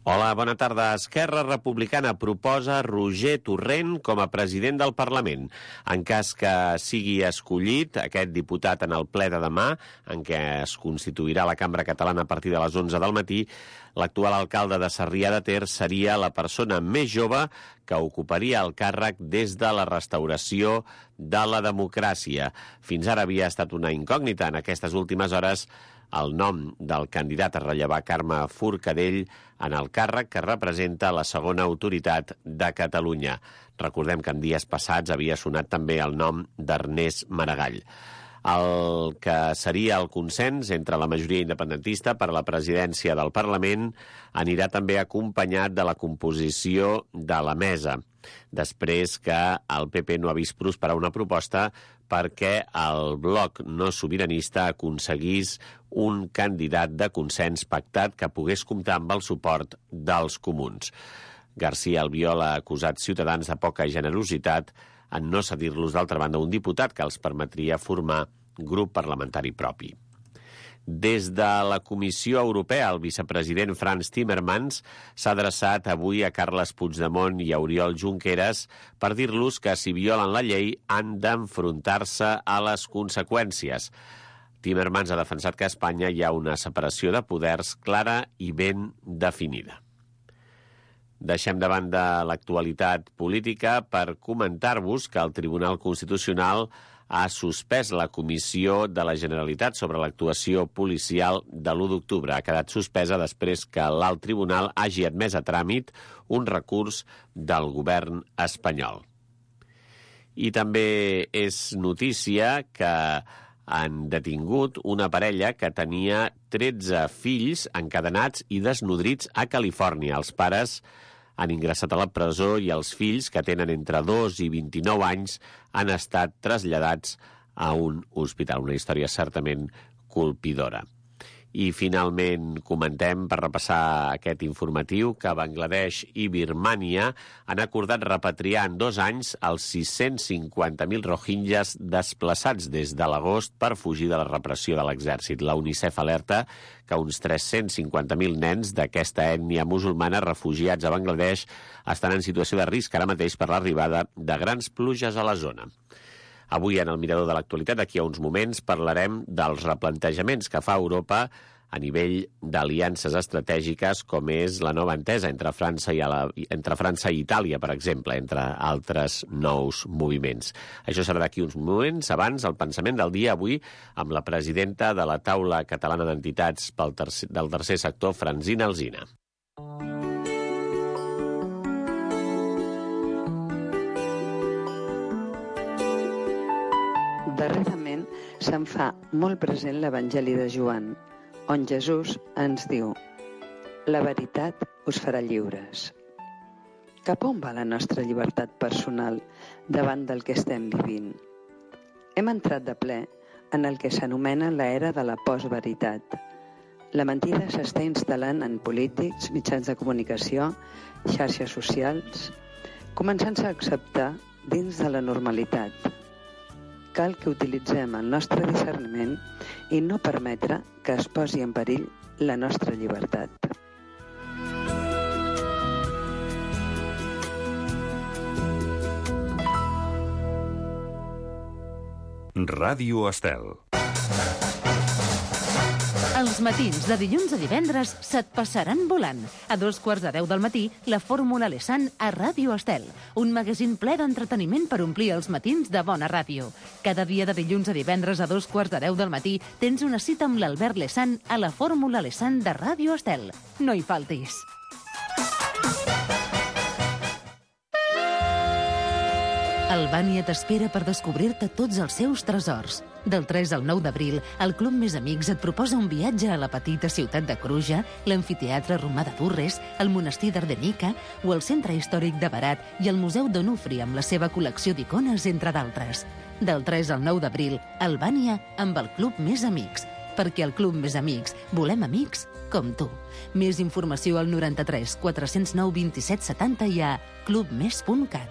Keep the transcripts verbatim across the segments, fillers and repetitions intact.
Hola, bona tarda. Esquerra Republicana proposa Roger Torrent com a president del Parlament. En cas que sigui escollit aquest diputat en el ple de demà, en què es constituirà la Cambra Catalana a partir de les onze del matí, l'actual alcalde de Sarrià de Ter seria la persona més jove que ocuparia el càrrec des de la restauració de la democràcia. Fins ara havia estat una incògnita. En aquestes últimes hores, el nom del candidat a rellevar Carme Forcadell en el càrrec que representa la segona autoritat de Catalunya. Recordem que en dies passats havia sonat també el nom d'Ernest Maragall. El que seria el consens entre la majoria independentista per a la presidència del Parlament anirà també acompanyat de la composició de la mesa, després que el P P no ha vist prosperar una proposta perquè el bloc no sobiranista aconseguís un candidat de consens pactat que pogués comptar amb el suport dels comuns. García Albiol ha acusat Ciutadans de poca generositat en no cedir-los, d'altra banda, un diputat que els permetria formar grup parlamentari propi. Des de la Comissió Europea, el vicepresident Frans Timmermans s'ha adreçat avui a Carles Puigdemont i a Oriol Junqueras per dir-los que si violen la llei han d'enfrontar-se a les conseqüències. Timmermans ha defensat que a Espanya hi ha una separació de poders clara i ben definida. Deixem de banda l'actualitat política per comentar-vos que el Tribunal Constitucional ha suspès la Comissió de la Generalitat sobre l'actuació policial de l'u d'octubre. Ha quedat suspesa després que l'alt tribunal hagi admès a tràmit un recurs del govern espanyol. I també és notícia que han detingut una parella que tenia tretze fills encadenats i desnodrits a Califòrnia. Els pares han ingressat a la presó i els fills, que tenen entre dos i vint-i-nou anys, han estat traslladats a un hospital. Una història certament colpidora. I finalment comentem, per repassar aquest informatiu, que Bangladesh i Birmània han acordat repatriar en dos anys els sis-cents cinquanta mil rohingyes desplaçats des de l'agost per fugir de la repressió de l'exèrcit. La UNICEF alerta que uns tres-cents cinquanta mil nens d'aquesta ètnia musulmana refugiats a Bangladesh estan en situació de risc ara mateix per l'arribada de grans pluges a la zona. Avui, en el Mirador de l'Actualitat, d'aquí a uns moments, parlarem dels replantejaments que fa Europa a nivell d'aliances estratègiques, com és la nova entesa entre França i, la, entre França i Itàlia, per exemple, entre altres nous moviments. Això serà d'aquí uns moments. Abans, el pensament del dia avui amb la presidenta de la Taula Catalana d'Entitats pel tercer, del Tercer Sector, Francina Alsina. Darrerament se'n fa molt present l'Evangeli de Joan, on Jesús ens diu: la veritat us farà lliures. Cap on va la nostra llibertat personal davant del que estem vivint? Hem entrat de ple en el que s'anomena l'era de la postveritat. La mentida s'està instal·lant en polítics, mitjans de comunicació, xarxes socials, començant-se a acceptar dins de la normalitat. Cal que utilitzem el nostre discerniment i no permetre que es posi en perill la nostra llibertat. Ràdio Estel. Els matins de dilluns a divendres se't passaran volant. A dos quarts de deu del matí, la Fórmula Lesan a Ràdio Estel, un magazín ple d'entreteniment per omplir els matins de bona ràdio. Cada dia de dilluns a divendres a dos quarts de deu del matí tens una cita amb l'Albert Lesan a la Fórmula Lesan de Ràdio Estel. No hi faltis. Albània t'espera per descobrir-te tots els seus tresors. Del tres al nou d'abril, el Club Més Amics et proposa un viatge a la petita ciutat de Cruja, l'amfiteatre romà de Durres, el monestir d'Ardenica o el centre històric de Berat i el Museu d'Onufri amb la seva col·lecció d'icones, entre d'altres. Del tres al nou d'abril, Albània amb el Club Més Amics. Perquè al Club Més Amics volem amics com tu. Més informació al noranta-tres quatre-cents nou vint-i-set setanta i a clubmes punt cat.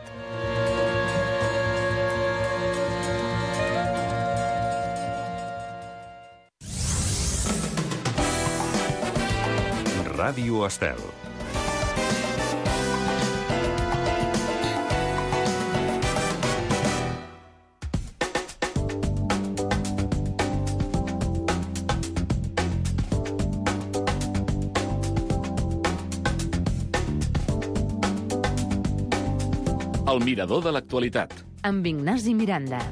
Ràdio Estel. El mirador de l'actualitat. Amb Ignasi Miranda.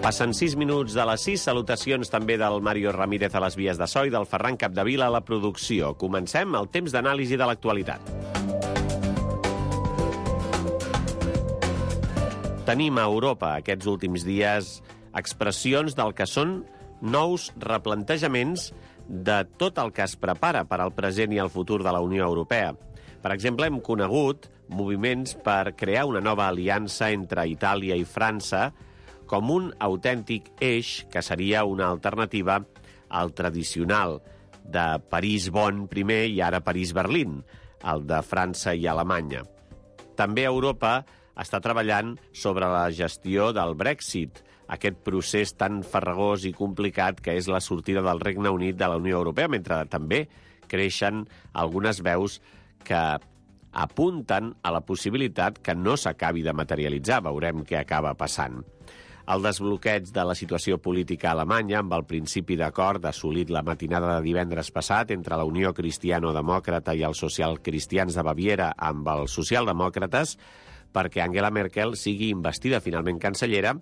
Passen sis minuts de les sis. Salutacions també del Mario Ramírez a les vies de so i del Ferran Capdevila a la producció. Comencem el temps d'anàlisi de l'actualitat. Tenim a Europa aquests últims dies expressions del que són nous replantejaments de tot el que es prepara per al present i el futur de la Unió Europea. Per exemple, hem conegut moviments per crear una nova aliança entre Itàlia i França com un autèntic eix que seria una alternativa al tradicional de París-Bonn primer i ara París-Berlín, el de França i Alemanya. També Europa està treballant sobre la gestió del Brexit, aquest procés tan farragós i complicat que és la sortida del Regne Unit de la Unió Europea, mentre també creixen algunes veus que apunten a la possibilitat que no s'acabi de materialitzar. Veurem què acaba passant. El desbloqueig de la situació política alemanya amb el principi d'acord assolit la matinada de divendres passat entre la Unió Cristiano-Demòcrata i els socialcristians de Baviera amb els socialdemòcrates perquè Angela Merkel sigui investida finalment cancellera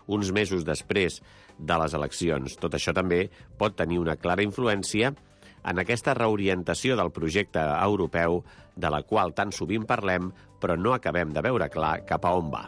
uns mesos després de les eleccions. Tot això també pot tenir una clara influència en aquesta reorientació del projecte europeu de la qual tan sovint parlem, però no acabem de veure clar cap a on va.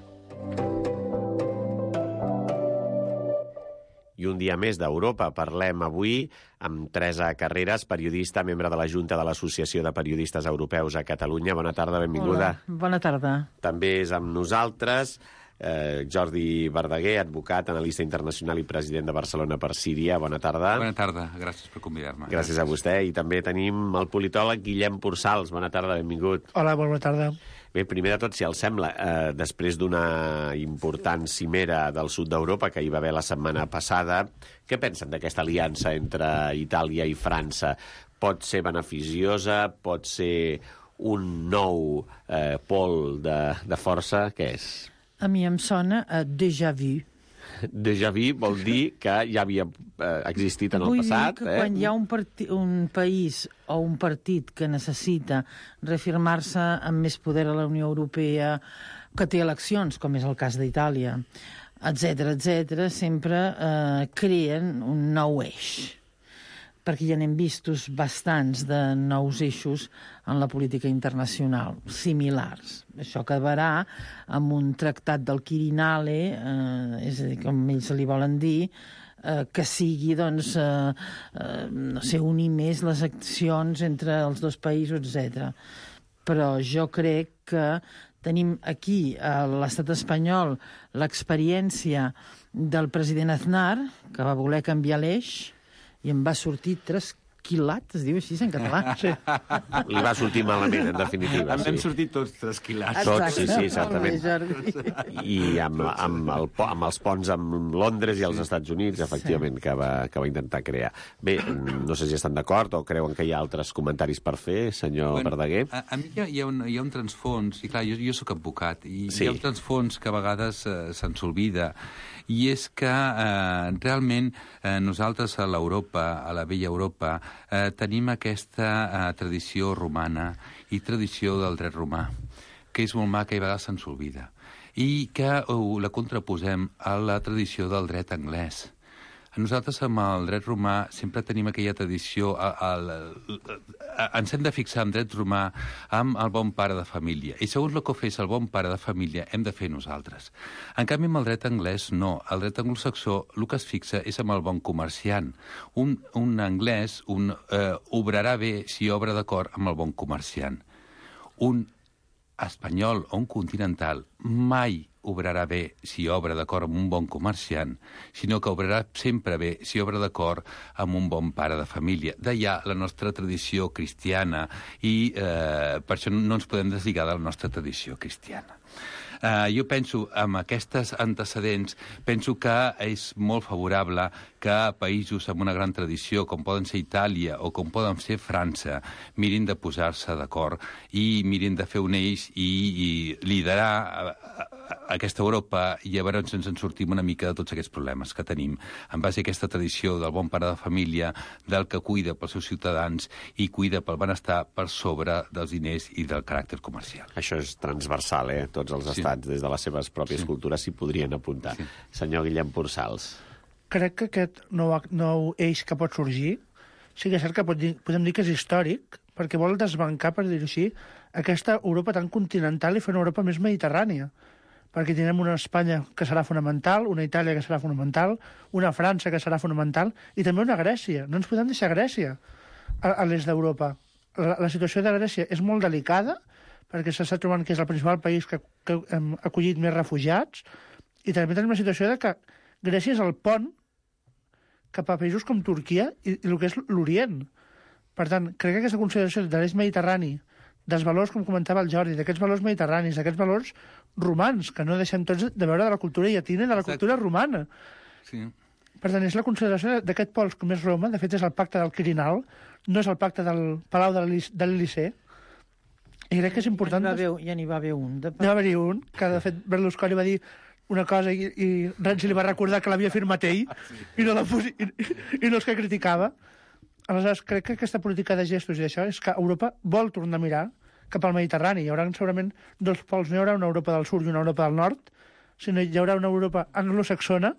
I un dia més d'Europa. Parlem avui amb Teresa Carreras, periodista, membre de la Junta de l'Associació de Periodistes Europeus a Catalunya. Bona tarda, benvinguda. Hola, bona tarda. També és amb nosaltres eh, Jordi Verdaguer, advocat, analista internacional i president de Barcelona per Síria. Bona tarda. Bona tarda, gràcies per convidar-me. Gràcies a vostè. I també tenim el politòleg Guillem Pursals. Bona tarda, benvingut. Hola, bona tarda. Bé, primer de tot, si els sembla, eh, després d'una important cimera del sud d'Europa que hi va haver la setmana passada, què pensen d'aquesta aliança entre Itàlia i França? Pot ser beneficiosa? Pot ser un nou eh, pol de, de força? Què és? A mi em sona a déjà vu. Déjà vu vol dir que ja havia eh, existit en el Vull passat. dir que eh? quan hi ha un, parti, un país o un partit que necessita reafirmar-se amb més poder a la Unió Europea, que té eleccions, com és el cas d'Itàlia, etcètera, etcètera, sempre eh, creen un nou eix. Perquè ja n'hem vistos bastants de nous eixos en la política internacional, similars. Això acabarà amb un tractat del Quirinale, eh, és a dir, com ells li volen dir, eh, que sigui, doncs, eh, eh, no sé, unir més les accions entre els dos països, etcètera. Però jo crec que tenim aquí, a l'estat espanyol, l'experiència del president Aznar, que va voler canviar l'eix, i em va sortir trasquilat, es diu així en català? Sí. Li va sortir malament, en definitiva. Em Sí. vam sortir tots trasquilats. Tots, sí, sí, exactament. Molt bé, Jordi. I amb, amb, el, po- amb els ponts amb Londres i els Estats Units, efectivament, que va, que va intentar crear. Bé, no sé si estan d'acord o creuen que hi ha altres comentaris per fer, senyor Bueno, Verdaguer. a, a mi hi ha, hi, ha un, hi ha un transfons, i clar, jo, jo sóc advocat, i Sí. hi ha un transfons que a vegades eh, se'ns oblida, i és que eh, realment eh, nosaltres a l'Europa, a la vella Europa, eh, tenim aquesta eh, tradició romana i tradició del dret romà, que és molt maca i a vegades se'ns oblida, i que uh, la contraposem a la tradició del dret anglès. Nosaltres, amb el dret romà, sempre tenim aquella tradició, a, a, a, a, ens hem de fixar en dret romà amb el bon pare de família. I segons el que fes el bon pare de família, hem de fer nosaltres. En canvi, amb el dret anglès, no. El dret anglosaxó, el que es fixa és amb el bon comerciant. Un, un anglès un, eh, obrarà bé si obra d'acord amb el bon comerciant. Un espanyol o un continental mai obrarà bé si obra d'acord amb un bon comerciant, sinó que obrarà sempre bé si obra d'acord amb un bon pare de família. D'allà la nostra tradició cristiana i eh, per això no ens podem deslligar de la nostra tradició cristiana. Uh, jo penso, amb aquests antecedents, penso que és molt favorable que països amb una gran tradició, com poden ser Itàlia o com poden ser França, mirin de posar-se d'acord i mirin de fer un eix i, i liderar a, a, a aquesta Europa, i a veure si ens en sortim una mica de tots aquests problemes que tenim, en base a aquesta tradició del bon pare de família, del que cuida pels seus ciutadans i cuida pel benestar per sobre dels diners i del caràcter comercial. Això és transversal, eh? Tots els Sí. estats, des de les seves pròpies Sí. cultures, s'hi podrien apuntar. Sí. Senyor Guillem Pursals. Crec que aquest nou, nou eix que pot sorgir, sí que és cert que pot dir, podem dir que és històric, perquè vol desbancar, per dir-ho així, aquesta Europa tan continental i fer una Europa més mediterrània. Perquè tindrem una Espanya que serà fonamental, una Itàlia que serà fonamental, una França que serà fonamental, i també una Grècia. No ens podem deixar Grècia a, a l'est d'Europa. La, la situació de Grècia és molt delicada, perquè s'està trobant que és el principal país que, que hem acollit més refugiats, i també tenim la situació de que Grècia és el pont cap a països com Turquia i, i el que és l'Orient. Per tant, crec que aquesta consideració de l'eix mediterrani, dels valors, com comentava el Jordi, d'aquests valors mediterranis, d'aquests valors romans, que no deixem tots de veure de la cultura llatina i de la Exacte. cultura romana. Sí. Per tant, és la consideració d'aquest pols com és Roma, de fet és el pacte del Quirinal, no és el pacte del Palau de l'Elysée, i crec que és important... Ja n'hi va haver, ja n'hi va haver un. De... N'hi va haver un, que de fet Berlusconi va dir una cosa i, i Renzi li va recordar que l'havia firmat ell i no, la fos, i, i no els que criticava. Aleshores, crec que aquesta política de gestos i d'això és que Europa vol tornar a mirar cap al Mediterrani. Hi haurà segurament dos pols, no hi haurà una Europa del sud i una Europa del nord, sinó hi haurà una Europa anglosaxona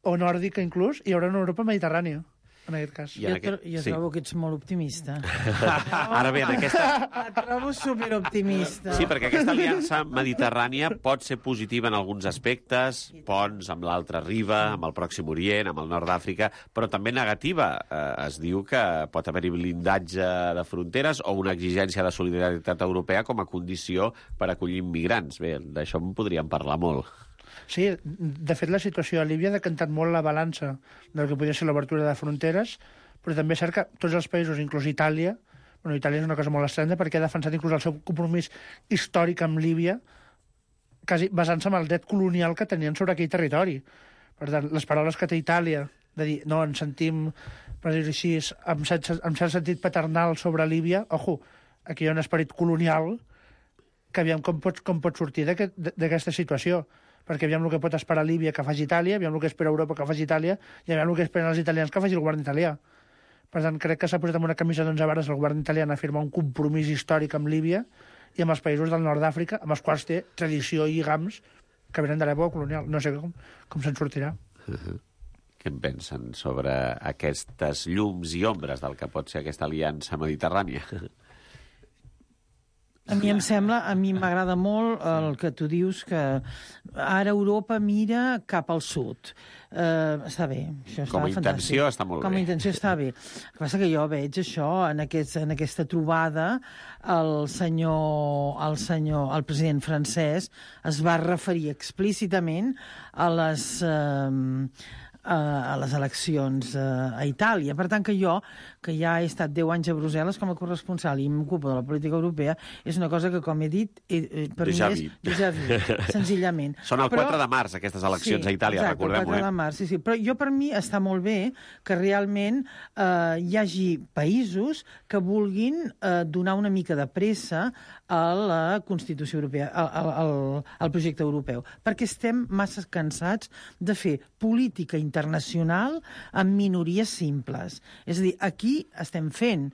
o nòrdica inclús, i hi haurà una Europa mediterrània, en aquest cas. I Jo, en aquest- tro jo sí. trobo que ets molt optimista. Ara bé, en aquesta... Et trobo superoptimista. Sí, perquè aquesta aliança mediterrània pot ser positiva en alguns aspectes, ponts amb l'altra riba, amb el Pròxim Orient, amb el nord d'Àfrica, però també negativa. Eh, es diu que pot haver-hi blindatge de fronteres o una exigència de solidaritat europea com a condició per acollir immigrants. Bé, d'això en podríem parlar molt. Sí, de fet, la situació a Líbia ha decantat molt la balança del que podria ser l'obertura de fronteres, però també és cert que tots els països, inclús Itàlia, bueno, Itàlia és una cosa molt estranya perquè ha defensat inclús el seu compromís històric amb Líbia, quasi basant-se en el dret colonial que tenien sobre aquell territori. Per tant, les paraules que té Itàlia, de dir, no, ens sentim, per dir-ho així, amb cert, amb cert sentit paternal sobre Líbia, ojo, aquí hi ha un esperit colonial que aviam com pot, com pot sortir d'aquesta situació, perquè aviam el que pot esperar Líbia que faci Itàlia, aviam el que espera Europa que faci Itàlia, i aviam el que esperen els italians que faci el govern italià. Per tant, crec que s'ha posat amb una camisa d'onze vares el govern italià a firmar un compromís històric amb Líbia i amb els països del nord d'Àfrica, amb els quals té tradició i lligams que venen de l'època colonial. No sé com, com se'n sortirà. Uh-huh. Què en pensen sobre aquestes llums i ombres del que pot ser aquesta aliança mediterrània? A mi em sembla, a mi m'agrada molt el que tu dius, que ara Europa mira cap al sud. Uh, està bé, això està Com a fantàstic. intenció està molt Com a bé. intenció està bé. El que passa que jo veig això, en, aquest, en aquesta trobada, el senyor, el senyor, el president francès es va referir explícitament a les... Uh, a les eleccions a Itàlia. Per tant, que jo, que ja he estat deu anys a Brussel·les com a corresponsal i m'ocupo de la política europea, és una cosa que, com he dit, per Déjà mi és vu. déjà vu, senzillament. Són el Però- quatre de març, aquestes eleccions Sí, a Itàlia, exacte, recordem-ho, el quatre eh? de març, sí, sí. Però jo, per mi, està molt bé que realment eh, hi hagi països que vulguin eh, donar una mica de pressa a la Constitució Europea, al, al, al, al projecte europeu, perquè estem massa cansats de fer política internacional amb minories simples. És a dir, aquí estem fent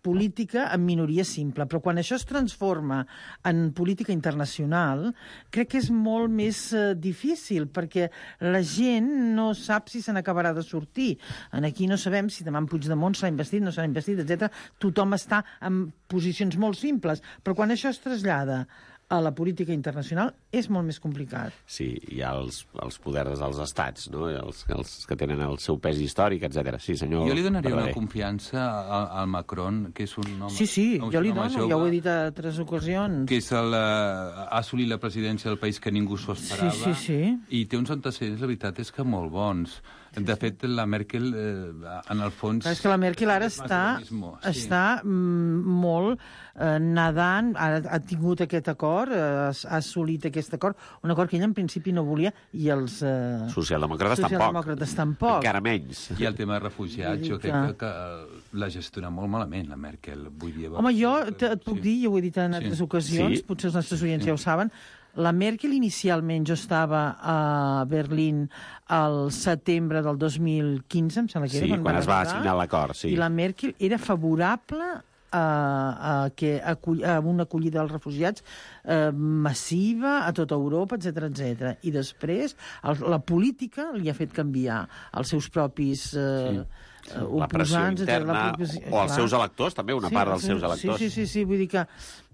política en minoria simple, però quan això es transforma en política internacional, crec que és molt més eh, difícil, perquè la gent no sap si se n'acabarà de sortir. En aquí no sabem si demà en Puigdemont s'ha investit, no s'ha investit, etcètera. Tothom està en posicions molt simples, però quan això es trasllada a la política internacional és molt més complicat. Sí, hi ha els, els poders dels estats, no? Els, els que tenen el seu pes històric, etcètera. Sí, senyor Jo li donaria Verdaguer. una confiança al, al Macron, que és un home... Sí, sí, un jo li home dono, jove, ja ho he dit a tres ocasions. que és el, eh, ha assolit la presidència del país que ningú s'ho esperava. Sí, sí, sí. I té uns antecedents, la veritat és que molt bons. De fet, la Merkel, eh, en el fons... Clar, és que la Merkel ara és està, más de lo mismo, sí. està mm, molt eh, nedant, ara ha tingut aquest acord acord, ha, ha assolit aquest acord, un acord que ell en principi no volia, i els eh, socialdemòcrates, socialdemòcrates tampoc. Encara menys. I el tema de refugiats, jo crec que, que l'ha gestionat molt malament, la Merkel. Vull dir, Home, jo et, et puc sí. dir, jo ho he dit en Sí. altres ocasions, Sí. potser els nostres oients Sí. ja ho saben, la Merkel inicialment, jo estava a Berlín al setembre del dos mil quinze, em sembla que era, Sí, quan van es va arribar, signar l'acord, sí. i la Merkel era favorable a, a, que, a, a una acollida dels refugiats eh, massiva a tota Europa, etcètera, etcètera. I després el, la política li ha fet canviar els seus propis eh, Sí. eh, La pressió oposants, etcètera, interna, la propis- o els clar. seus electors, també, una part dels seus electors. Sí, sí, sí, sí, vull dir que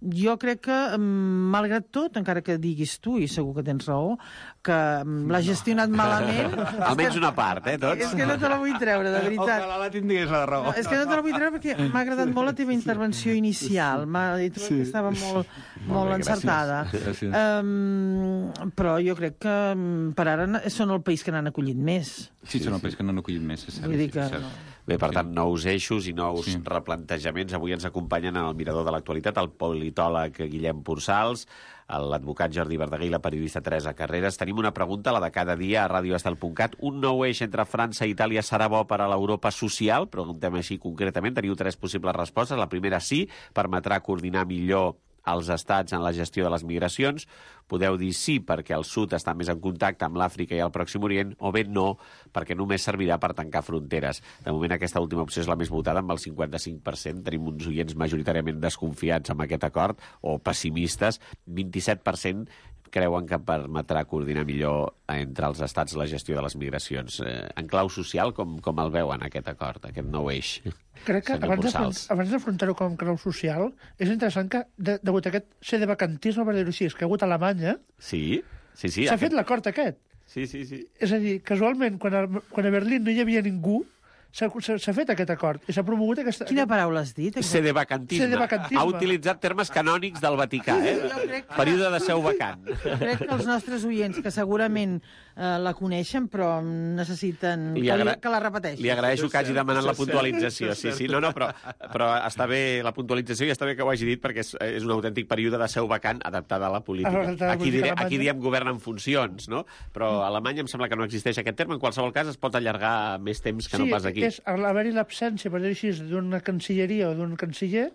jo crec que, mm, malgrat tot, encara que diguis tu, i segur que tens raó, que mm, l'ha gestionat malament... Almenys una part, eh, tots? És que no te la vull treure, de veritat. Ojalà la tingués la raó. No, és que no te la vull treure perquè m'ha agradat molt la teva intervenció inicial. M'ha dit sí. que estava molt, molt bé, encertada. Gràcies. Um, però jo crec que um, per ara n- són el país que n'han acollit més. Sí, són el país que no han acollit més, és cert. Vull dir sí, que és cert. no. Bé, per tant, nous eixos i nous Sí. replantejaments. Avui ens acompanyen en el Mirador de l'Actualitat el politòleg Guillem Pursals, l'advocat Jordi Verdaguer i la periodista Teresa Carreras. Tenim una pregunta, la de cada dia, a radioestel punt cat. Un nou eix entre França i Itàlia serà bo per a l'Europa social? Preguntem així concretament. Teniu tres possibles respostes. La primera, sí, permetrà coordinar millor els estats en la gestió de les migracions. Podeu dir sí perquè el sud està més en contacte amb l'Àfrica i el Pròxim Orient, o bé no perquè només servirà per tancar fronteres. De moment aquesta última opció és la més votada, amb el cinquanta-cinc per cent. Tenim uns oients majoritàriament desconfiats amb aquest acord, o pessimistes. vint-i-set per cent creuen que permetrà coordinar millor entre els estats la gestió de les migracions. Eh, en clau social, com, com el veuen, aquest acord, aquest nou eix? Crec que Senyor abans de, Pursals. abans d'afrontar-ho com a clau social, és interessant que, de, degut a aquest sedevacantisme, per dir-ho així, que ha hagut a Alemanya, Sí, sí, sí. s'ha aquest- fet l'acord aquest. Sí, sí, sí. És a dir, casualment, quan a, quan a Berlín no hi havia ningú, s'ha s'ha- s'ha fet aquest acord i s'ha promogut aquesta... Quina paraula has dit? Sedevacantisme. Sedevacantisme. Ha utilitzat termes canònics del Vaticà, eh? Jo crec que- Període de seu vacant. Crec que els nostres oients, que segurament eh, la coneixen, però necessiten Li que, agra- li, que la repeteixi. Li agraeixo que hagi demanat la puntualització. Sí, sí, no, no, però, però està bé la puntualització i està bé que ho hagi dit perquè és, és un autèntic període de seu vacant adaptada a la política. Adaptada a la Aquí, política diré, alemanya. aquí diem govern en funcions, no? Però a Alemanya em sembla que no existeix aquest terme. En qualsevol cas es pot allargar més temps que sí, no pas aquí. és haver-hi l'absència, per dir-ho així, d'una cancilleria o d'un canciller,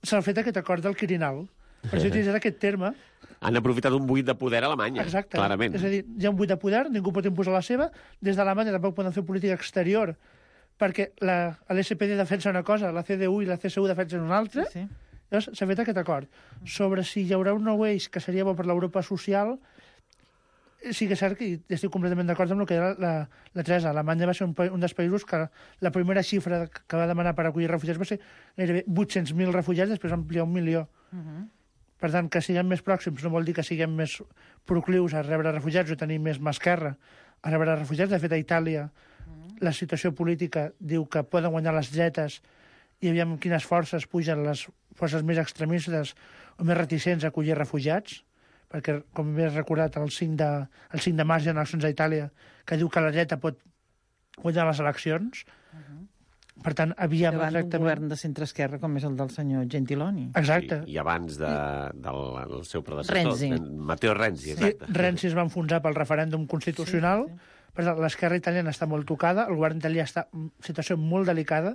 s'ha fet aquest acord del Quirinal. Per això utilitzat aquest terme. Han aprofitat un buit de poder a Alemanya, Exacte. clarament. És a dir, hi ha un buit de poder, ningú pot imposar la seva. Des d'Alemanya tampoc poden fer política exterior, perquè l'S P D defensa una cosa, la C D U i la C S U defensen una altra. Sí, sí. Llavors s'ha fet aquest acord. Sobre si hi haurà un nou eix que seria bo per l'Europa social, sí que és cert que i estic completament d'acord amb el que era la, la Teresa. Alemanya va ser un, pa- un dels països que la primera xifra que va demanar per acollir refugiats va ser gairebé vuit-cents mil refugiats, després va ampliar un milió. Uh -huh. Per tant, que siguem més pròxims no vol dir que siguem més proclius a rebre refugiats o tenir més mà esquerra a rebre refugiats. De fet, a Itàlia la situació política diu que poden guanyar les dretes i aviam quines forces pugen les forces més extremistes o més reticents a acollir refugiats, perquè, com bé has recordat, el cinc de, el cinc de març hi ha eleccions a Itàlia que diu que la dreta pot guanyar les eleccions. Per tant, aviam Davant d'un exactament... govern de centre-esquerra com és el del senyor Gentiloni. Exacte. I, i abans de, del, del seu predecessor, Renzi. Matteo Renzi, Sí, exacte. Renzi es va enfonsar pel referèndum constitucional, sí, sí. Per tant, l'esquerra italiana està molt tocada, el govern italià està en situació molt delicada,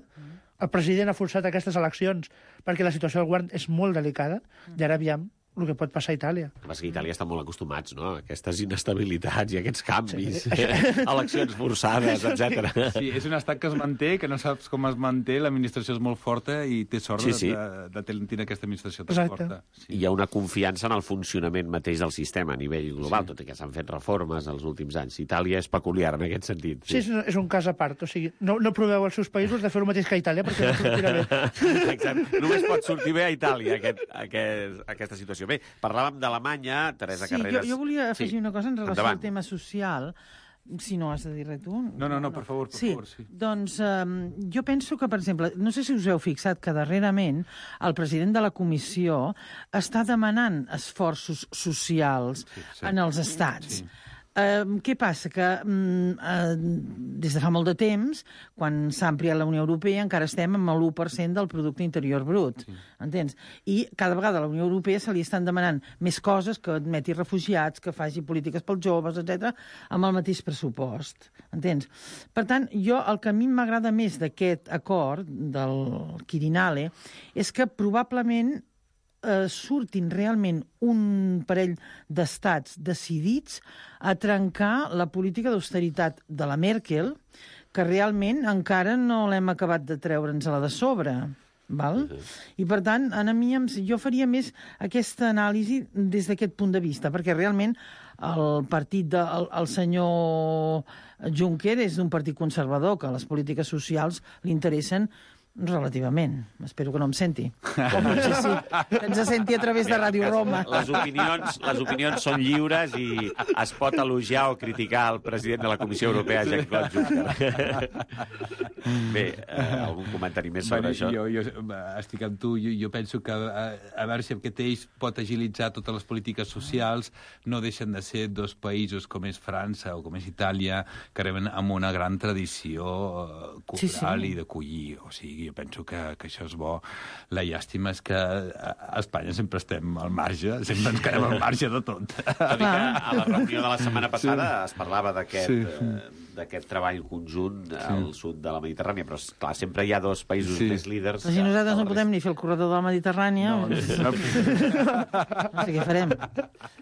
el president ha forçat aquestes eleccions perquè la situació del govern és molt delicada, i ara aviam el que pot passar a Itàlia. És que a Itàlia estan molt acostumats, no?, a aquestes inestabilitats i aquests canvis, Sí. eleccions forçades, etcètera. Sí, és un estat que es manté, que no saps com es manté, l'administració és molt forta i té sort Sí, sí. de, de, de tenir aquesta administració tan Exacte. forta. Sí. Hi ha una confiança en el funcionament mateix del sistema a nivell global, sí. Tot i que s'han fet reformes els últims anys. Itàlia és peculiar en aquest sentit. Sí, és, un- és un cas a part, o sigui, no, no proveu als seus països de fer el mateix que a Itàlia perquè no sortirà bé. Exacte. Només pot sortir bé a Itàlia aquest, aquest, aquesta situació. Bé, parlàvem d'Alemanya, Teresa Sí, Carreras. jo, jo volia afegir Sí. una cosa en relació Endavant. al tema social, si no has de dir res tu. No, no, no, per favor, per sí, favor, sí. Doncs um, jo penso que, per exemple, no sé si us heu fixat que darrerament el president de la comissió està demanant esforços socials Sí, sí. en els estats. Sí. Eh, què passa? Que mm, eh, des de fa molt de temps, quan s'ha ampliat la Unió Europea, encara estem amb l'u per cent del producte interior brut. Sí. Entens? I cada vegada a la Unió Europea se li estan demanant més coses, que admeti refugiats, que faci polítiques pels joves, etcètera, amb el mateix pressupost. Entens? Per tant, jo el que a mi m'agrada més d'aquest acord, del Quirinale, és que probablement Eh, surtin realment un parell d'estats decidits a trencar la política d'austeritat de la Merkel, que realment encara no l'hem acabat de treure'ns-la de sobre. Val? Uh-huh. I, per tant, a mi, jo faria més aquesta anàlisi des d'aquest punt de vista, perquè realment el partit del de, el, el senyor Juncker és un partit conservador, que les polítiques socials li interessen relativament. Espero que no em senti. No sé si ens senti a través de Ràdio Roma. Les opinions, les opinions són lliures i es pot elogiar o criticar el president de la Comissió Europea, Jean-Claude Juncker. Bé, eh, algun comentari més sobre bueno, això? Jo, jo estic amb tu. Jo, jo penso que a, a veure si aquest eix pot agilitzar totes les polítiques socials. No deixen de ser dos països com és França o com és Itàlia, que reben amb una gran tradició cultural sí, sí. i d'acollir. O sigui, jo penso que, que això és bo. La llàstima és que a Espanya sempre estem al marge, sempre ens quedem al marge de tot. Tot i que a la reunió de la setmana passada sí. es parlava d'aquest sí. eh, d'aquest treball conjunt sí. al sud de la Mediterrània, però clar, sempre hi ha dos països sí. més líders. Però si nosaltres no podem ni fer el corredor de la Mediterrània, no, no, no. no sé què farem.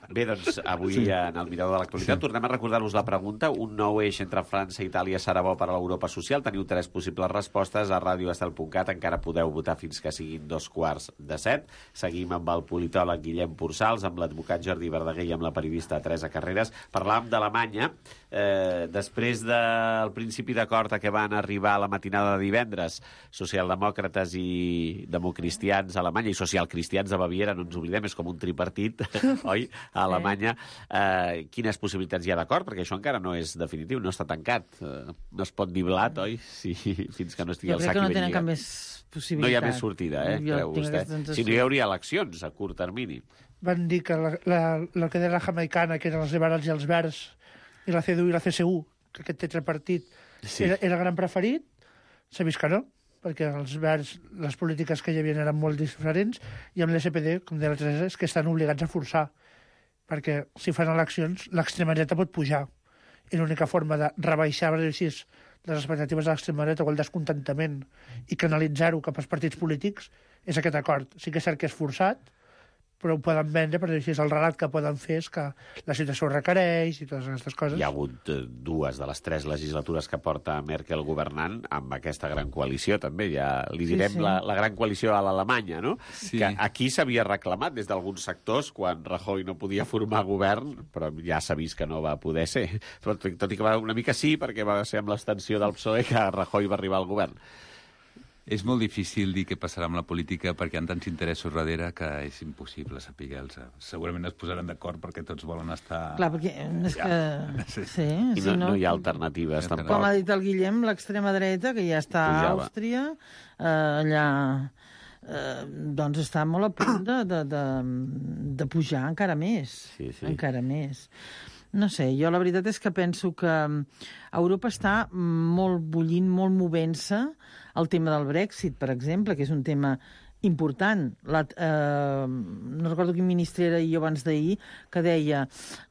Bé, doncs, avui sí. en el Mirador de l'Actualitat sí. tornem a recordar-vos la pregunta. Un nou eix entre França i Itàlia serà bo per a l'Europa social? Teniu tres possibles respostes a radio estel punt cat. Encara podeu votar fins que siguin dos quarts de set. Seguim amb el politòleg Guillem Pursals, amb l'advocat Jordi Verdaguer i amb la periodista Teresa Carreras. Parlàvem d'Alemanya. Eh, després del principi d'acord a què van arribar a la matinada de divendres socialdemòcrates i democristians a Alemanya i socialcristians de Baviera, no ens oblidem, és com un tripartit, oi? A Alemanya. Eh, quines possibilitats hi ha d'acord? Perquè això encara no és definitiu, no està tancat. Eh, no es pot dir blat, oi? Sí, fins que no estigui el sac i ben lligat. Jo crec que no tenen cap més possibilitat. No hi ha més sortida, eh? Creu vostè? Si no hi hauria eleccions a curt termini. Van dir que la, la, la que deia la jamaicana, que eren els liberals i els verds, i la C D U i la C S U, que aquest tetrapartit sí. era, era el gran preferit, s'ha vist que no, perquè els verds, les polítiques que hi havia eren molt diferents, i amb l'S P D, com deia la Teresa, és que estan obligats a forçar, perquè si fan eleccions, l'extrema dreta pot pujar. I l'única forma de rebaixar així, les expectatives de l'extrema dreta o el descontentament i canalitzar-ho cap als partits polítics és aquest acord. Sí que és cert que és forçat, però ho poden vendre, perquè així és el relat que poden fer és que la situació ho requereix i totes aquestes coses. Hi ha hagut dues de les tres legislatures que porta Merkel governant amb aquesta gran coalició, també. Ja li direm sí, sí. La, la gran coalició a l'Alemanya, no? Sí. Que aquí s'havia reclamat des d'alguns sectors quan Rajoy no podia formar govern, però ja s'ha vist que no va poder ser. Tot, tot i que va una mica sí, perquè va ser amb l'extensió del P S O E que Rajoy va arribar al govern. És molt difícil dir què passarà amb la política perquè hi ha tants interessos darrere que és impossible saber-los. Segurament es posaran d'acord perquè tots volen estar... Clar, perquè és ja. que... Sí. sí I no, si no, no hi ha alternatives, no, tampoc. Com ha dit el Guillem, l'extrema dreta, que ja està a Àustria, eh, allà... Eh, doncs està molt a punt de, de, de, de pujar encara més. Sí, sí. Encara més. No sé, jo la veritat és que penso que Europa està molt bullint, molt movent-se. El tema del Brexit, per exemple, que és un tema important. La, eh, no recordo quin ministre era jo abans d'ahir, que deia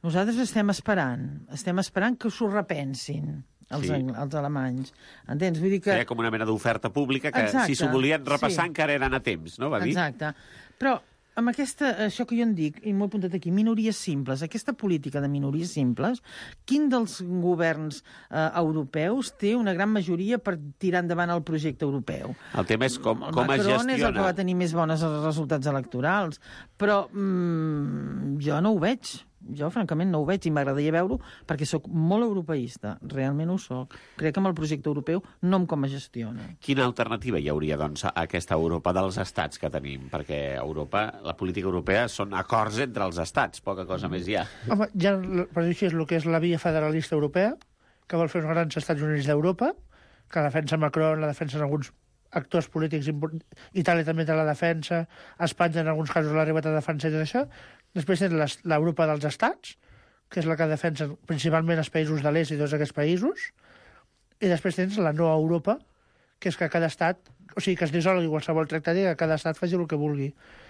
nosaltres estem esperant, estem esperant que s'ho repensin. Els, sí. els alemanys. Entens? Vull dir que... Era com una mena d'oferta pública que exacte, si s'ho volien repassar sí. encara eren a temps, no? Va dir? Exacte. Però amb aquesta, això que jo en dic, i m'ho he apuntat aquí, minories simples, aquesta política de minories simples, quin dels governs eh, europeus té una gran majoria per tirar endavant el projecte europeu? El tema és com, com es gestiona. Macron és el que va tenir més bons resultats electorals, però mm, jo no ho veig. Jo, francament, no ho veig i m'agradaria veure-ho perquè sóc molt europeista. Realment ho sóc. Crec que amb el projecte europeu no em com es gestiona. Quina alternativa hi hauria, doncs, a aquesta Europa dels estats que tenim? Perquè Europa, la política europea són acords entre els estats, poca cosa mm. més hi ha. Home, ja, per dir així, és el que és la via federalista europea, que vol fer uns grans Estats Units d'Europa, que defensa Macron, la defensa alguns actors polítics importants. Itàlia també té la defensa, Espanya en alguns casos l'ha arribat a defensar i tot això. Després tens l'Europa dels estats, que és la que defensen principalment els països de l'est i tots aquests països, i després tens la no Europa, que és que cada estat, o sigui, que es dissolgui qualsevol tractat i que cada estat faci el que vulgui,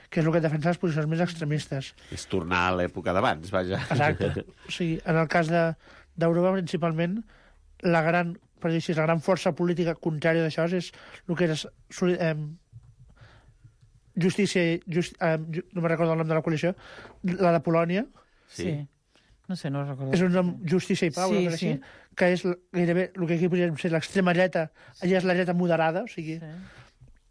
que és el que defensa les posicions més extremistes. És tornar a l'època d'abans, vaja. Exacte. O sigui, en el cas de, d'Europa, principalment, la gran, per dir així, la gran força política contrària d'això és el que és eh, justícia, just, eh, no me'n recordo el nom de la coalició, la de Polònia. Sí. sí. No sé, no recordo. És un nom, Justícia i Pau, sí, sí, sí. així, que és gairebé el que aquí podríem ser l'extrema dreta, allà és la dreta moderada, o sigui, sí.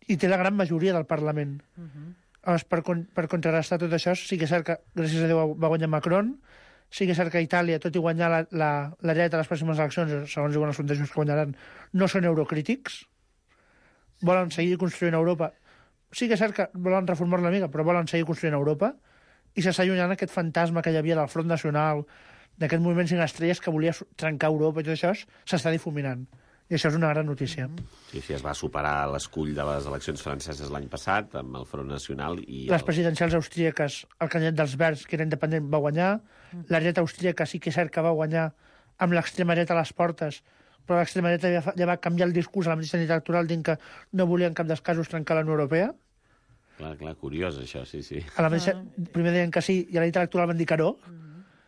I té la gran majoria del Parlament. Uh -huh. Llavors, per, per contrarrestar tot això, sí que és cert que, gràcies a Déu, va guanyar Macron, sí que és cert que Itàlia, tot i guanyar la, la, la dreta a les pròximes eleccions, segons diuen els sondejos que guanyaran, no són eurocrítics, volen seguir construint Europa. Sí que és cert que volen reformar una mica, però volen seguir construint Europa, i s'està allunyant aquest fantasma que hi havia del Front Nacional, d'aquest moviment cinc estrelles que volia trencar Europa i tot això, s'està difuminant. I això és una gran notícia. Sí, sí, es va superar l'escull de les eleccions franceses l'any passat, amb el Front Nacional i... Les el... presidencials austríaques, el candidat dels Verds, que era independent, va guanyar. La dreta austríaca sí que és cert que va guanyar amb l'extrema dreta a les portes, però l'extrema dreta ja, fa, ja va canviar el discurs a la mateixa nit electoral dient que no volia en cap dels casos trencar la Unió Europea. Clar, clar, curiós, això, sí, sí. A la mateixa, primer deien que sí, i a la nit electoral van dir que no.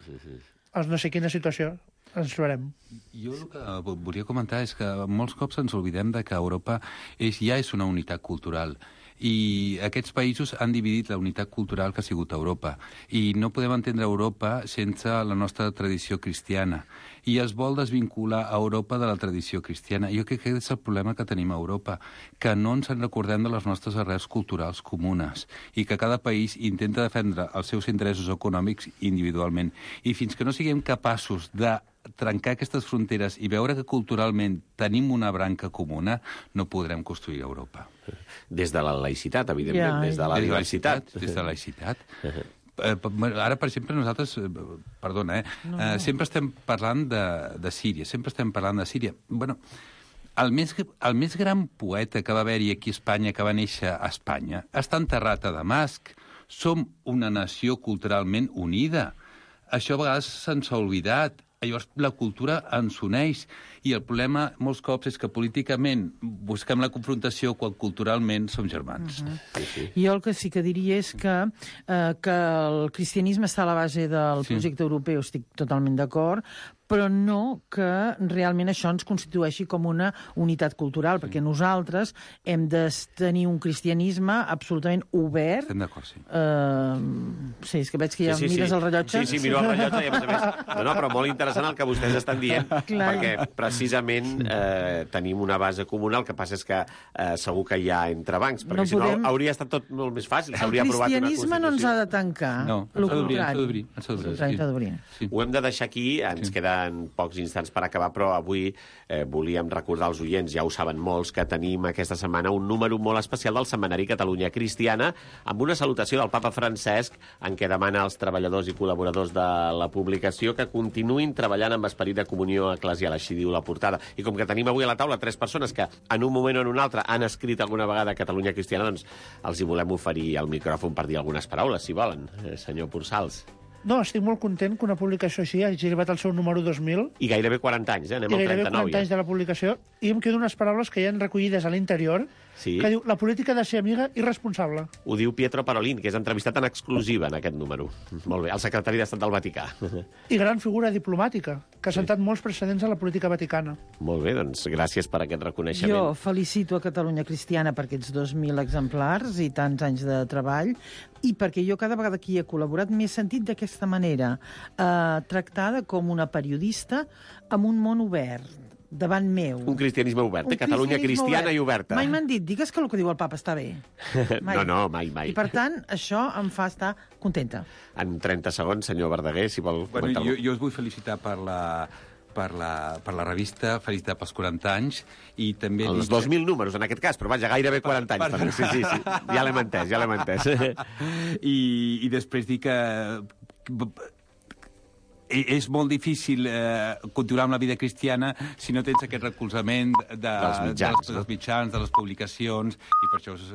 Sí, sí. Els no sé quina situació ens trobarem. Jo el que volia comentar és que molts cops ens oblidem de que Europa és, ja és una unitat cultural, i aquests països han dividit la unitat cultural que ha sigut Europa, i no podem entendre Europa sense la nostra tradició cristiana, i es vol desvincular a Europa de la tradició cristiana. Jo crec que aquest és el problema que tenim a Europa, que no ens en recordem de les nostres arrels culturals comunes, i que cada país intenta defendre els seus interessos econòmics individualment, i fins que no siguem capaços de trencar aquestes fronteres i veure que culturalment tenim una branca comuna, no podrem construir Europa. Des de la laïcitat, evidentment, Ja, des de la Des de diversitat. Des de la laïcitat. Eh, Ara, per exemple, nosaltres, eh, perdona, eh, No, eh, no. sempre estem parlant de, de Síria, sempre estem parlant de Síria. Bueno, el més, el més gran poeta que va haver-hi aquí a Espanya, que va néixer a Espanya, està enterrat a Damasc. Som una nació culturalment unida. Això a vegades se'ns ha oblidat. Llavors, la cultura ens uneix, i el problema molts cops és que políticament busquem la confrontació quan culturalment som germans. Uh-huh. Sí, sí. Jo el que sí que diria és que, eh, que el cristianisme està a la base del Sí. projecte europeu, estic totalment d'acord, però no que realment això ens constitueixi com una unitat cultural, perquè nosaltres hem de tenir un cristianisme absolutament obert. Estem d'acord, sí. Uh, sí, és que veig que ja sí, sí, mires sí. el rellotge. Sí, sí, miro el rellotge i, a més a més... No, no, però molt interessant el que vostès estan dient, Clar. perquè precisament eh, tenim una base comuna, el que passa és que eh, segur que hi ha entrebancs, perquè No si no podem- hauria estat tot molt més fàcil, El s'hauria aprovat una cristianisme no ens ha Constitució. de tancar. No, Lo ens ha d'obrir, ens ha contrari. d'obrir, ens ha d'obrir, Lo contrari, sí. ens ha d'obrir. Sí. Ho hem de deixar aquí, ens Sí. queden pocs instants per acabar, però avui eh, volíem recordar als oients, ja ho saben molts, que tenim aquesta setmana un número molt especial del setmanari Catalunya Cristiana, amb una salutació del papa Francesc, en què demana als treballadors i col·laboradors de la publicació que continuïn treballant amb esperit de comunió eclesial, així diu la portada. I com que tenim avui a la taula tres persones que en un moment o en un altre han escrit alguna vegada Catalunya Cristiana, doncs els hi volem oferir el micròfon per dir algunes paraules, si volen, eh, senyor Pursals. No, estic molt content que una publicació així hagi arribat al seu número dos mil, I gairebé quaranta anys, eh? Anem i al gairebé trenta-nou quaranta anys ja. de la publicació, i em quedo unes paraules que hi han recollides a l'interior, Sí. que diu la política ha de ser amiga i responsable. Ho diu Pietro Parolin, que és entrevistat en exclusiva en aquest número. Molt bé, el secretari d'Estat del Vaticà. I gran figura diplomàtica, que ha sentat molts precedents a la política vaticana. Molt bé, doncs gràcies per aquest reconeixement. Jo felicito a Catalunya Cristiana per aquests dos mil exemplars i tants anys de treball, i perquè jo cada vegada que hi he col·laborat m'he sentit d'aquesta manera, eh, tractada com una periodista amb un món obert davant meu. Un cristianisme obert, Un eh? Catalunya cristianisme cristiana obert. i oberta. Mai m'han dit, digues que el que diu el papa està bé. No, no, mai, mai. I per tant, això em fa estar contenta. En trenta segons, senyor Verdaguer, si vol Bueno, comentar jo, jo us vull felicitar per la, per la, per la revista, felicitar pels quaranta anys, i també... Els dic- dos mil números, en aquest cas, però vaja, gairebé quaranta anys. per- També. Sí, sí, sí. Ja l'hem entès, ja l'hem entès. I, i després dir que és molt difícil eh, continuar amb la vida cristiana si no tens aquest recolzament de, Dels mitjans, dels, no? dels mitjans, de les publicacions, i per això us